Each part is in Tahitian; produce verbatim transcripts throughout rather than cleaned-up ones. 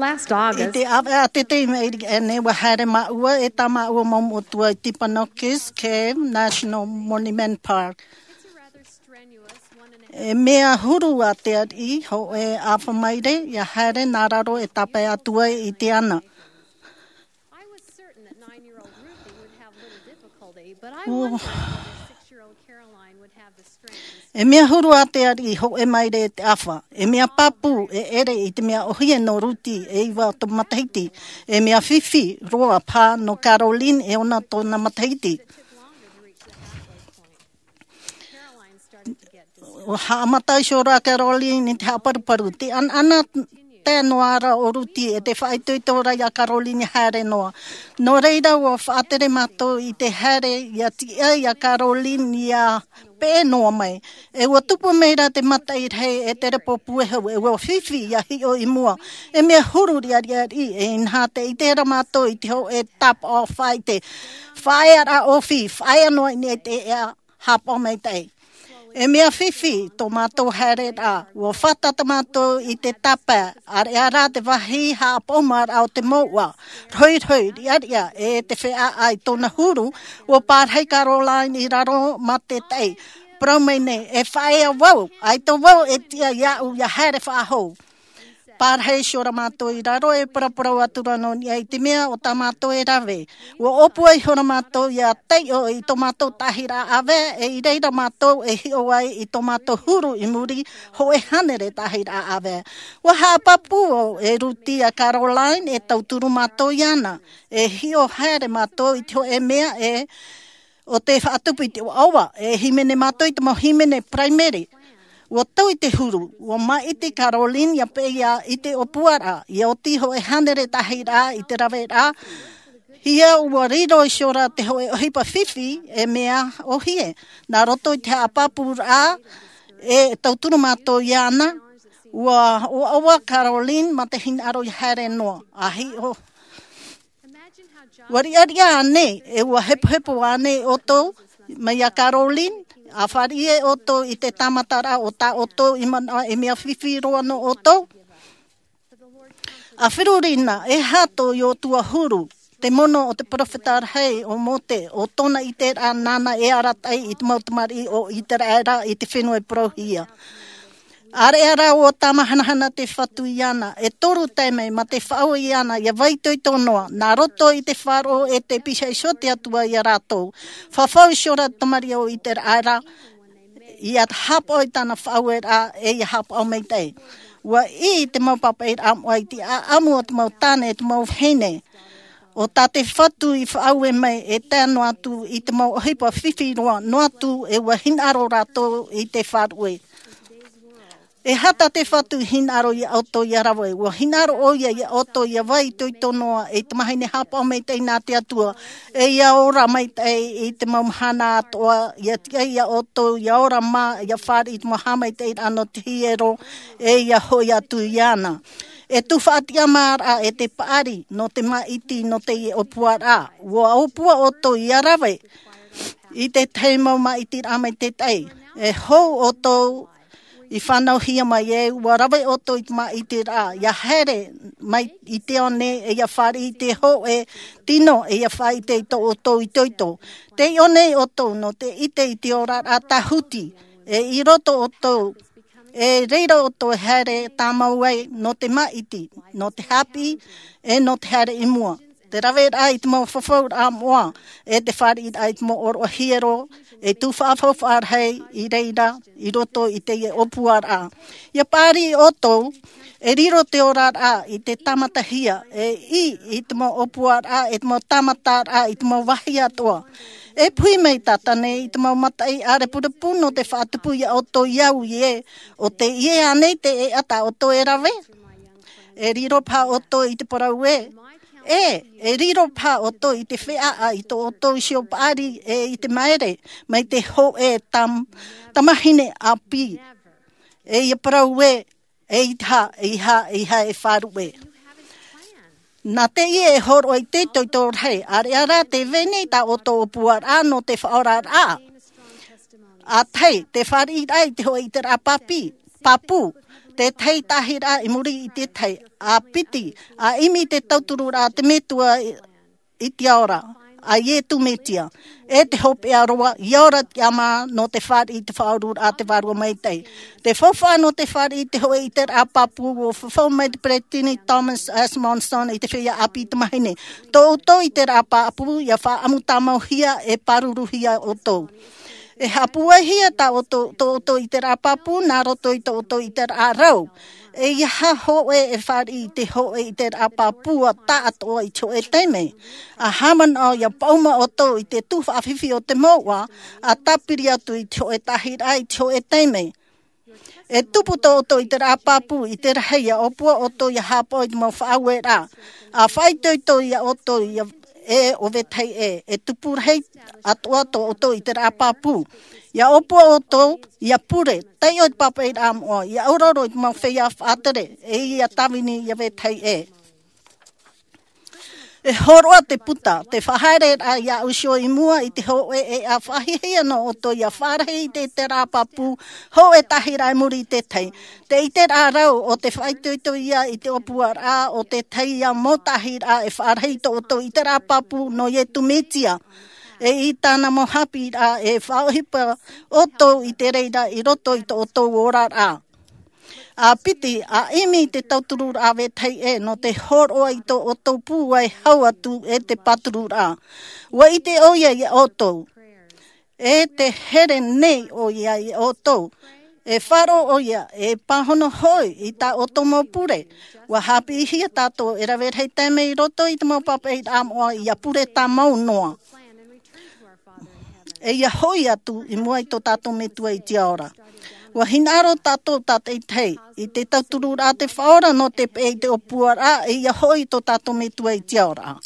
Last August, i te ʻāvaʻe a te tei mai i nei, ua haere māua e tā māua mau moʻotua i Tipanokis Cave National Monument Park. E mea huru a te ariʻi hōʻē ʻāfa maire ia haere nā raro e tāpae atu ai i te ana. E mea huru a te ariʻi hōʻē maire e te ʻāfa. E mea pāpū e ʻere i te mea ʻohie nō Ruti e iva tō matahiti. E mea fifi roa pā nō Caroline e ono tōna matahiti. Ua haʻamata iho rā Caroline i te haʻaparuparu. Te ʻanaʻana tae noa ra o Ruti e te faʻaitoito ra ia Caroline ia haere noa. Nō reira ua faʻatere mātou i te haere ia tiʻa ia Caroline ia peʻe noa mai. E ua tupu mai ra te mataʻi rahi e te repo puehu e ua fifi ia hiʻo i mua. E mea huru riʻariʻariʻi e inaha te ʻite ra mātou i te hōʻē tāpaʻo faʻaʻite. Faʻaea ra ʻōfī, faʻaea noa i niʻa i te ea hāpaʻo maitaʻi. E mea fifi tō mātou haereraʻa, ua fātata mātou i te tāpae, ʻāreʻa rā te vāhi haʻapaʻomaʻaraʻa o te mouʻa, rohirohi, riʻariʻa, e te feʻaʻa i tōna huru, ua pārahi Caroline i raro mā te taʻi. Parau mai nei, e faʻaea vau, ʻaita vau e tiʻa iāʻu ia haere faʻahou. Pārahi iho ra mātou i raro e paraparau atu ra nō niʻa i te mea o tā mātou e rave. Ua ʻōpua iho ra mātou ia taiʻo i tō mātou tāhiraʻa ʻāvae, e i reira mātou e hiʻo ai i tō mātou huru i muri hōʻē hānere tāhiraʻa ʻāvae. Ua haʻapāpū e Ruti ia Caroline e tauturu mātou iāna. E hiʻo haere mātou i te hōʻē mea e ʻo te faʻatupu i te ʻoaʻoa, e hīmene mātou i te mau hīmene paraimere. Ua tau i te huru, ua māʻiti Caroline ia peʻe ia i te ʻōpuaraʻa, ia oti hōʻē hānere tāhiraʻa i te raveraʻa. Ia ua riro iho ra te hōʻē ʻohipa fifi e mea ʻohie. Nā roto i te haʻapāpūraʻa e tauturu mātou iāna, ua ʻoaʻoa Caroline mā te hinaʻaro ia haere noa. ʻA hiʻo Ua riʻariʻa ānei, e ua hepohepo ānei ʻoutou, mai ia Caroline, ʻa fāriʻi e ʻoutou i te tāmataraʻa o tā ʻoutou i manaʻo e mea fifi roa nō ʻoutou? ʻA feruri na, e aha tō Iosua huru, te mono o te peropheta rahi o Mose, ʻo tōna ʻiteraʻa nāna e arataʻi i te mau tamariʻi o Iseraela i te fenua i parauhia. ʻĀreʻa rā ʻua tāmahanahana te Fatu iāna, e toru taime mā te faʻaue iāna ia vāitoito noa, nā roto i te faʻaroʻo e te pihaʻi iho te Atua ia rātou. Fafau iho ra te tamariʻi o Iseraela, ia hāpaʻo i tāna faʻaueraʻa, e ia hāpaʻo maitaʻi. ʻUa ʻī te mau pāpaʻiraʻa moʻa i te ʻāʻamu o te mau tāne, e te mau vahine. ʻO tā te Fatu i faʻaue mai e tae noa atu i te mau ʻohipa fifi roa, noa atu e ʻua hinaʻaro rātou i te faʻaue. E aha tā te Fatu i hinaʻaro ia ʻoutou ia rave, ʻua hinaʻaro ʻoia ia ʻoutou ia vāitoito noa, e tamahine hāpaʻo maitaʻi nā te Atua, e ia ora maitaʻi i te mau mahana atoʻa, ia tiʻa ia ʻoutou ia ora mā, ia fāriʻi i te mau haʻamaitaʻiraʻa nō te hiero, e ia hoʻi atu iāna. E tufaʻatiʻamāraʻa e te paʻari, nō te māʻiti, nō teie ʻōpuaraʻa, ʻua ʻōpua ʻoutou ia rave i te tahi mau māʻitiraʻa maitaʻi. E hou ʻoutou i fānauhia mai e ʻua rave ʻoutou i te māʻitiraʻa, ia haere mai i te one, e ia fāriʻi i te hōʻē tino, e ia faʻaʻite i tō ʻoutou itoito. Tei ʻō nei ʻoutou nō te ʻite i te oraraʻa tāhuti, e i roto ʻoutou, e reira ʻoutou e haere tāmau ai nō te māʻiti, nō te haʻapiʻi, e nō te haere i mua. Te raveraʻa i te mau fafauraʻa moʻa, e te fāriʻiraʻa i te mau ʻōroʻa hiero, e tufaʻa faufaʻa rahi i reira i roto i teie ʻōpuaraʻa. Ia paʻari ʻoutou, e riro te oraraʻa i te tāmatahia, e ʻī i te mau ʻōpuaraʻa, e te mau tāmataraʻa, i te mau vāhi atoʻa. E puhi mai tātane i te mau mataʻi ʻārepurepu nō te faʻatupu ia ʻoutou i au i ē, ʻo teie ānei te ʻēʻa tā ʻoutou e rave? E riro paha ʻoutou i te parau ē? ʻĒ, e riro paha ʻoutou i te feʻaʻa i tō ʻoutou iho paʻari e i te maere, mai te hōʻē tam-, tamahine ʻāpī. E ia parau ē, e ʻeiaha, ʻeiaha, ʻeiaha e faʻaruʻe. Nā teie e hōroʻa i te itoito rahi, ʻāreʻa rā tē vai nei tā ʻoutou ʻōpuaraʻa nō te faʻaoraraʻa. ʻA tahi, te fāriʻiraʻa i te hōʻē ʻiteraʻa pāpī, pāpū, Te tahi tāhiraʻa i muri i te tahi, a piti, a ʻimi te tauturuʻraʻa te Metua i te ao ra, a Iesu Mesia. E te hopeʻa roa, ʻia ora te tiʻamā nō te fāriʻi i te faʻaoraraʻa a te Vārua Maitaʻi. Te faufaʻa nō te fāriʻi i te hōʻē ʻiteraʻa pāpū, ʻua fafau mai te Peresideni Thomas S. Monson i te feiā ʻāpī tamāhine. Tō ʻoutou ʻiteraʻa pāpū, ʻia faʻaʻamu tāmauhia e pāruruhia ʻoutou. E haʻapūaihia tā ʻoutou, tō ʻoutou ʻiteraʻa pāpū, nā roto i tō ʻoutou ʻiteraʻa rau. E ʻeiaha hōʻē e fāriʻi i te hōʻē ʻiteraʻa pāpū ʻa taʻatoʻa i te hōʻē taime. ʻA haʻamanaʻo ʻia paʻuma ʻoutou i te tuhaʻa fifi o te mouʻa, ʻa tāpiri atu i te hōʻē tāhiraʻa i te hōʻē taime. E tupu tō ʻoutou ʻiteraʻa pāpū i te rahi ʻia ʻōpua ʻoutou ʻia haʻapaʻo i te mau faʻaueraʻa. ʻA faʻaitoito ia ʻoutou ia e ʻo vetahi ʻē, e tupu rahi atoʻa tō ʻoutou ʻiteraʻa pāpū. ʻIa ʻōpua ʻoutou, ʻia pure, taiʻo i te pāpaʻiraʻa moʻa, ʻia ʻauraro i te mau feiā faʻatere, e ʻia tāvini ia vetahi ʻē. E hōroʻa te puta, te faʻahaereraʻa iā ʻoe i mua i te hōʻē ʻēʻa faʻahiahia nō ʻoutou ʻia faʻarahi i te ʻiteraʻa pāpū, hōʻē tāhiraʻa i muri i te tahi. Te ʻiteraʻa rau ʻo te faʻaitoito ia i te ʻōpuaraʻa o te tahi ia mau tāhiraʻa e faʻarahi i tō ʻoutou ʻiteraʻa pāpū nō Iesu Mesia. E i tāna mau haʻapiʻiraʻa e faʻaʻohipa ʻoutou i te reira i roto i tō ʻoutou oraraʻa. ʻA piti, ʻa ʻimi te tauturuʻraʻa vetahi ʻē nō te hōroʻa i tō ʻoutou pūai hau atu e te pāturuʻraʻa. ʻUa ʻite ʻoia iā ʻoutou. E te here nei ʻoia iā ʻoutou. E faʻaroʻo ʻoia, e pāhono hoʻi i tā ʻoutou mau pure. ʻUa haʻapiʻihia tātou e rave rahi taime i roto i te mau pāpaʻiraʻa moʻa ʻia pure tāmau noa. E ʻia hoʻi atu i mua i tō tātou Metua i te ao ra. ʻUa hinaʻaro tātou tātaʻitahi i te tauturuʻraʻa te Faʻaora nō te peʻe i te ʻōpuaraʻa, e ʻia hoʻi tō tātou Metua i te ao ra.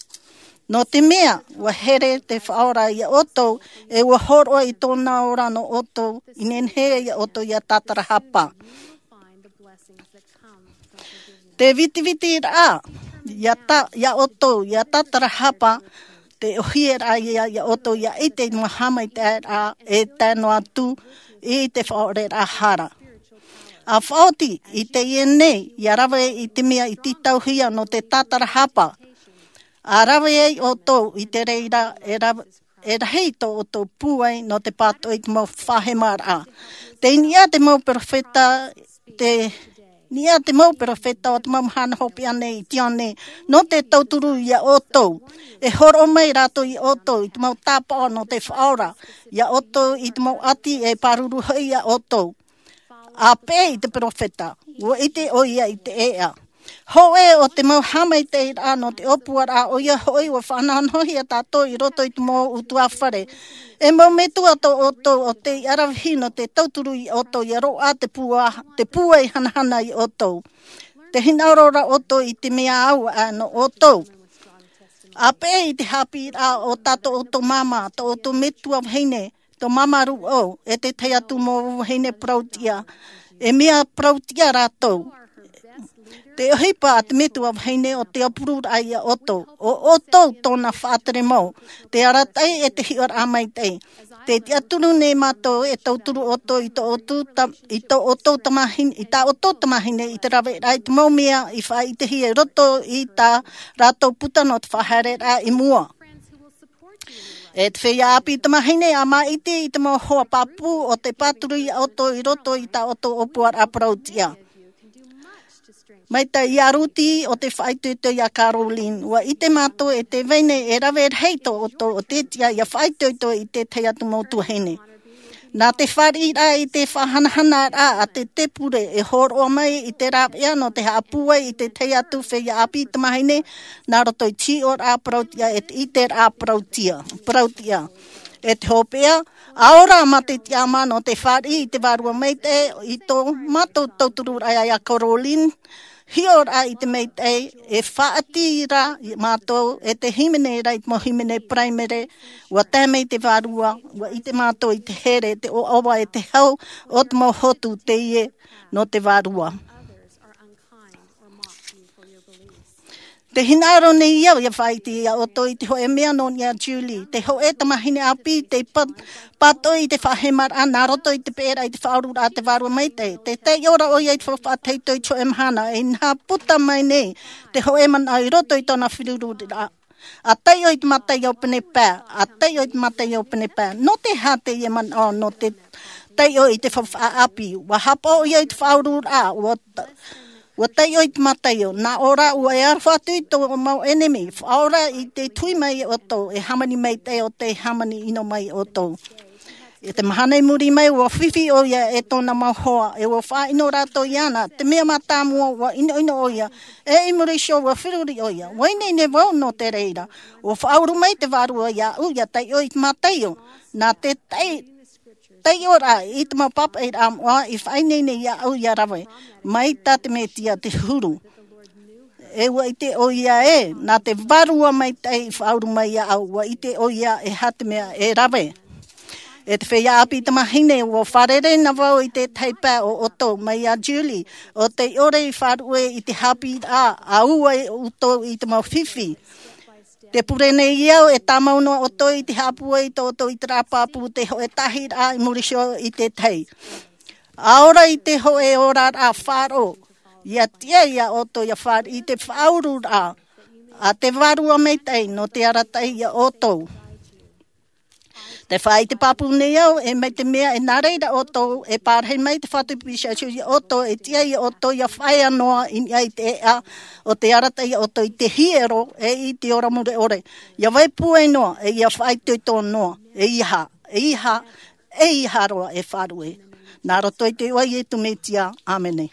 Nō te mea, ʻua here te Faʻaora iā ʻoutou, e ʻua hōroʻa i tōna ora nō ʻoutou, i nehenehe iā ʻoutou ʻia tātarahapa. Te vitivitiraʻa, iā tā, iā ʻoutou, ʻia tātarahapa, te ʻohipa ia, iā ʻoutou, ʻia ʻite i te mau haʻamaitaʻiraʻa, e tae noa atu, i te faʻaʻoreraʻa hara. ʻA faʻaoti, i teie nei, ʻia rave i te mea i tītauhia nō te tātarahapa. ʻA rave ai ʻoutou, i te reira, e rave, e rahi tō ʻoutou pūai nō te pātoʻi i te mau faʻahemaraʻa. Tei niʻa te mau perofeta, tei niʻa te mau perofeta o te mau mahana hopeʻa nei i teie nei, nō te tauturu iā ʻoutou. E hōroʻa mai rātou iā ʻoutou i te mau tāpaʻo nō te Faʻaora, iā ʻoutou i te mau ʻati e pāruru hoʻi iā ʻoutou. ʻA peʻe i te perofeta, ʻua ʻite ʻoia i te ʻēʻa. Hōʻē o te mau haʻamaitaʻiraʻa nō te ʻōpuaraʻa, ʻoia hoʻi ʻua faʻanahonahohia tātou i roto i te mau ʻutuāfare. E mau metua tō ʻoutou ʻo tei ʻaravihi nō te tauturu iā ʻoutou ʻia roaʻa te pūa, te pūai hanahana iā ʻoutou. Te hinaʻaro ra ʻoutou i te mea au aʻe nō ʻoutou. ʻA peʻe i te haʻapiʻiraʻa o tā tō ʻoutou māmā, tō ʻoutou metua vahine, tō māmā rūʻau, e te tahi atu mau vahine parau tiʻa, e mea parau tiʻa rātou. Te ʻohipa a te metua vahine ʻo te aupururaʻa iā ʻoutou, ʻo ʻoutou tōna faʻatere mau, te arataʻi e te hiʻoraʻa maitaʻi. Te tiʻaturi nei mātou e tauturu ʻoutou i tō ʻoutou ta-, i tō ʻoutou tamāhine, i tā ʻoutou tamāhine i te raveraʻa i te mau mea i faʻaʻitehia i roto i tā rātou puta nō te faʻahaereraʻa i mua. E te feiā ʻāpī tamāhine, ʻa māʻiti i te mau hoa pāpū ʻo tei pāturu iā ʻoutou i roto i tā ʻoutou ʻōpuaraʻa parau tiʻa. Mai tā ia Ruti ʻo tei faʻaitoito iā Caroline, ʻua ʻite mātou e tē vai nei e rave rahi tō ʻoutou ʻo tē tiʻa ʻia faʻaitoito i te tahi atu mau tuahine. Nā te fāriʻiraʻa i te faʻahanahanaraʻa a te, te pure e hōroʻa mai i te rāveʻa nō te haʻapūai i te tahi atu feiā ʻāpī tamāhine, nā roto i te hiʻoraʻa parau tiʻa e te ʻiteraʻa parau tiʻa, parau tiʻa. E te hopeʻa, ʻa ora mā te tiʻamā nō te fāriʻi i te Vārua Maitaʻi i tō mātou tautururaʻa iā Caroline, hiʻoraʻa i te maitaʻi, e faʻaʻati ra mātou, e te hīmene ra i te mau hīmene paraimere, ʻua tae mai te Vārua, ʻua ʻite mātou i te here, te ʻoaʻoa e te hau, o te mau hotu teie nō te Vārua. Te hinaʻaro nei au ia faʻaʻite ia ʻoutou i te hoʻe mea nō niʻa a Julie, te hoʻe tamahine ʻāpī, te pa-, pātoʻi i te faʻahemaraʻa nā roto i te peʻeraʻa i te faʻaururaʻa a te Vārua Maitaʻi. Tē taiʻo ra ʻoia i te faufaʻa tahito i te hoʻe mahana, e inaha puta mai nei te hoʻe manaʻo i roto i tōna feruriraʻa. ʻA taiʻo i te mataio pene pae, ʻa taiʻo i te mataio pene pae. Nō te aha teie manaʻo, nō te taiʻo i te faufaʻa ʻāpī? ʻUa haʻapaʻo ʻoia i te faʻaururaʻa, ʻua ta-, ʻua taiʻo i te mataio. Nā ʻō rā, ʻua e aroha atu i tō mau ʻenemi. Faʻaora i te tui mai ia ʻoutou, e hāmani maitaʻi ʻo tē hāmani ʻino mai ia ʻoutou. I te mahana i muri mai, ʻua fifi ʻoia e tōna mau hoa, e ʻua faʻaʻino rātou iāna. Te mea mātāmua, ʻua ʻinoʻino ʻoia, e i muri iho ʻua feruri ʻoia. ʻUa ineine vau nō te reira. ʻUa faʻauru mai te Vārua iāʻu, ʻia taiʻo i te mataio. Nā te tai-, taiʻoraʻa i te mau pāpaʻiraʻa moʻa i faʻaineine iāʻu ʻia rave mai tā te Mesia te huru. E ʻua ʻite ʻoia ē, nā te Vārua Maitaʻi i faʻauru mai iāʻu, ʻua ʻite ʻoia e aha te mea e rave. E te feiā ʻāpī tamahine, ʻua fārerei na vau i te tahi pae o ʻoutou, mai iā Julie, ʻo tē ʻore i faʻaruʻe i te haʻapiʻiraʻa, ʻa ua e ʻoutou i te mau fifi. Tē pure nei au, e tāmau noa ʻoutou i te haʻapūai i tō ʻoutou ʻiteraʻa pāpū, te hoʻe tāhiraʻa i muri iho i te tahi. ʻA ora i te hoʻe oraraʻa faʻaroʻo, ʻia tiʻa ia ʻoutou ʻia fāriʻi i te faʻaururaʻa a te Vārua Maitaʻi nō te arataʻi ia ʻoutou. Tē faʻaʻite pāpū nei au, e mai te mea e nā reira ʻoutou e pārahi mai te Fatu Pīsā Iesu ia ʻoutou, e tiʻa ia ʻoutou ʻia faʻaea noa i niʻa i te ʻēʻa, ʻo tē arataʻi ia ʻoutou i te hiero, e i te ora mure ʻore. ʻIa vai pūai noa, e ʻia faʻaitoito noa, e ʻeiaha, e ʻeiaha, e ʻeiaha roa e faʻaruʻe. Nā roto i te iʻoa o Iesu Mesia, ʻāmene.